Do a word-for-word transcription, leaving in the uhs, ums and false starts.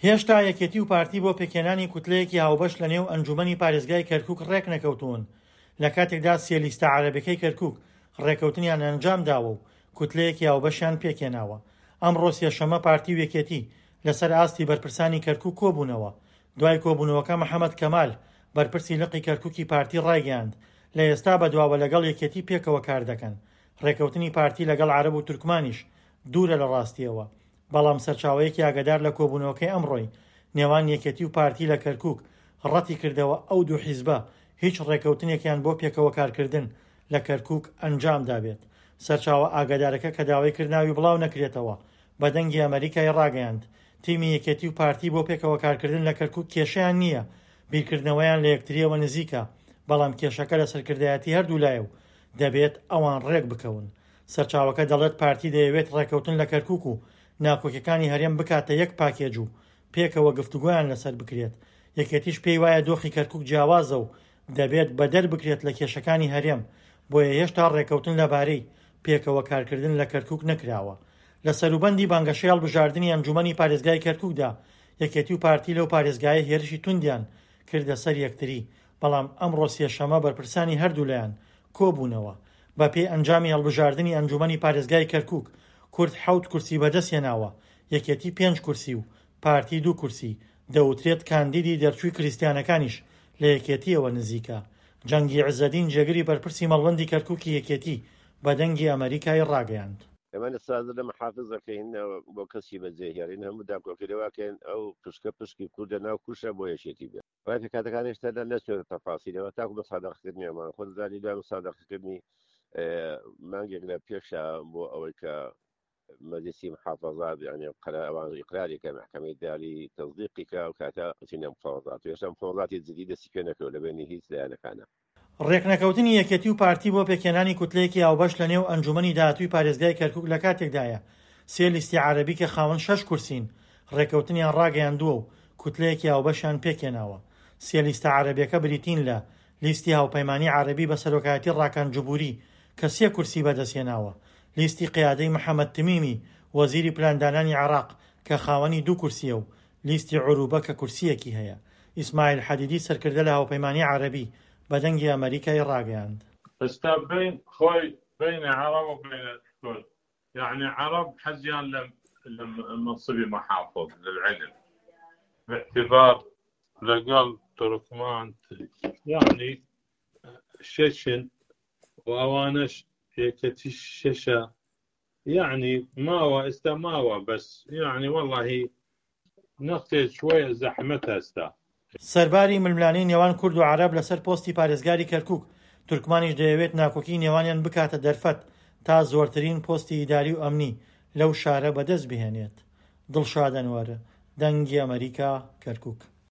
هێشتا یەکێتی و پارتی بۆ پێکهێنانی کوتلەیەکی هاوبەش لە نێو ئەنجومەنی پارێزگای کەرکوک ڕێکنەکەوتوون، لە کاتێکدا سێ لیستە عەرەبەکەی کەرکوک ڕێکەوتنیان ئەنجام داوە و کوتلەیەکی هاوبەشیان پێکهێناوە. ئەمڕۆ سێشەممە پارتی و یەکێتی لەسەر ئاستی بەرپرسانی کەرکوک کۆبوونەوە. دوای کۆبوونەوەکە محەمەد کەمال، بەرپرسی لقی کەرکوکی پارتی ڕایگەیاند، لە ئێستا بەدواوە لەگەڵ یەکێتی پێکەوە کار دەکەن. ڕێکەوتنی پارتی لەگەڵ عەرەب و تورکمانیش دوورە لە ڕاستیەوە. بەڵام سەرچاوەیەکی ئاگادار لە کۆبوونەوەکەی ئەمڕۆی نێوان یەکێتی و پارتی لە کەرکوک ڕەتی کردەوە ئەو دوو حیزبە هیچ ڕێکەوتنێکیان بۆ پێکەوە کارکردن لە کەرکوک ئەنجام دابێت. سەرچاوە ئاگادارەکە کە داوای کرد ناوی بڵاو نەکرێتەوە بە دەنگی ئەمەریکای ڕاگەیاند، تیمی یەکێتی و پارتی بۆ پێکەوە کارکردن لە کەرکوک کێشەیان نییە، بیرکردنەوەیان لە یەکتریەوە نزیکە، بەڵام کێشەکە لە سەرکردایەتی هەردوولایە و دەبێت ئەوان ڕێک بکەون. سەرچاوەکە دەڵێت پارتی دەیەوێت ڕێکەوتن لە کەرکوک و ناکۆکیەکانی هەرێم بکاتە یەک پاکێج و پێکەوە گفتوگۆیان لەسەر بکرێت، یەکێتیش پێی وایە دۆخی کەرکوک جیاوازە و دەبێت بەدەر بکرێت لە کێشەکانی هەرێم، بۆیە هێشتا ڕێکەوتن لەبارەی پێکەوە کارکردن لە کەرکوک نەکراوە. لە سەروبەندی بانگەشەی هەڵبژاردنی ئەنجومەنی پارێزگای کەرکوکدا یەکێتی و پارتی لەو پارێزگایە هێرشی توندیان کردە سەر یەکتری، بەڵام ئەمڕۆ سێشەممە بەرپرسانی هەردوولایان کۆبوونەوە. بەپێی ئەنجامی هەڵبژاردنی ئەنجومەنی پارێزگای کەرکوک، کورد حەوت کورسی بەدەستهێناوە، یەکێتی پێنج کورسی و پارتی دوو کورسی، دەوترێت کاندیدی دەرچووی کریستیانەکانیش لە یەکێتیەوە نزیکە. جەنگی عزەدین جێگری بەرپرسی مەڵبەندی کەرکوکی یەکێتی بە دەنگی ئەمەریکای ڕاگەیاند. ئێمە لە سازە لە محافز دەکەین بۆ کەسی بەجێهێڵین، هەموو داکۆکی لەواکەین ئەو پشکە پشکی کوردە ناو کوشە بۆ یەکێتی بێت. ڕای پێکهاتەکان هێشتا نەچوونەتە تەفاسیلەوە تاکو مصادقەکردنی ئەمان خۆ دەزانی دوای مصادقەکردنی مانگێک لە پێشە بۆ ئەوەی کە مەجلسی محافظات یعنی قرار ئەوان ئیقراری کە محکمەی داری تەصدیقی کە ئەو کاتە چینە مفاوضات و هێشتا مفاوضاتی جدی دەستی پێ نەکردووە لە بەینی هیچ لایەنەکانە. ڕێکنەکەوتنی یەکێتی و پارتی بۆ پێکهێنانی کوتلەیەکی هاوبەش لە نێو ئەنجومەنی داهاتووی پارێزگای کەرکوک لە کاتێکدایە سێ لیستی عەرەبی کە خاوەن شەش کورسین ڕێکەوتنیان ڕاگەیاندووە و کوتلەیەکی هاوبەشیان پێکهێناوە. سێ لیستە عەرەبیەکە بریتین لە لیستی هاوپەیمانی عەرەبی بە سەرۆکایەتی ڕاکان جبوری کە سێ کورسی بەدەستهێناوە، لیستی قیادەی محەمەد تمیمی وەزیری پلاندانانی عێراق کە خاوەنی دوو کورسیە و لیستی عروبە کە کورسیەکی هەیە. ئیسماعیل حەدیدی سەرکردە لە هاوپەیمانی عەرەبی بە دەنگی ئەمەریکای ڕاگەیاند. ئێستا بین خۆی بین عەرەب و بین کورد یەعنی عەرەب حەزیان لە لە مەنسبی محافظ للعلم باعتبار لەگەڵ تورکمان یەعنی شەشن و ئەوانەش یەکەتی شەشە یەعنی ماوە ئێستا ماوە بەس یەعنی وەڵاهی نەختێ شويە زەحمەتە ئێستا. سەرباری ململانێی نێوان کورد و عەرەب لەسەر پۆستی پارێزگاری کەرکوک، تورکمانیش دەیەوێت ناکۆکی نێوانیان بکاتە دەرفەت تا زۆرترین پۆستی ئیداری و ئەمنی لەو شارە بەدەست بهێنێت. دڵشاد ئەنوەر، دەنگی ئەمەریکا، کەرکوک.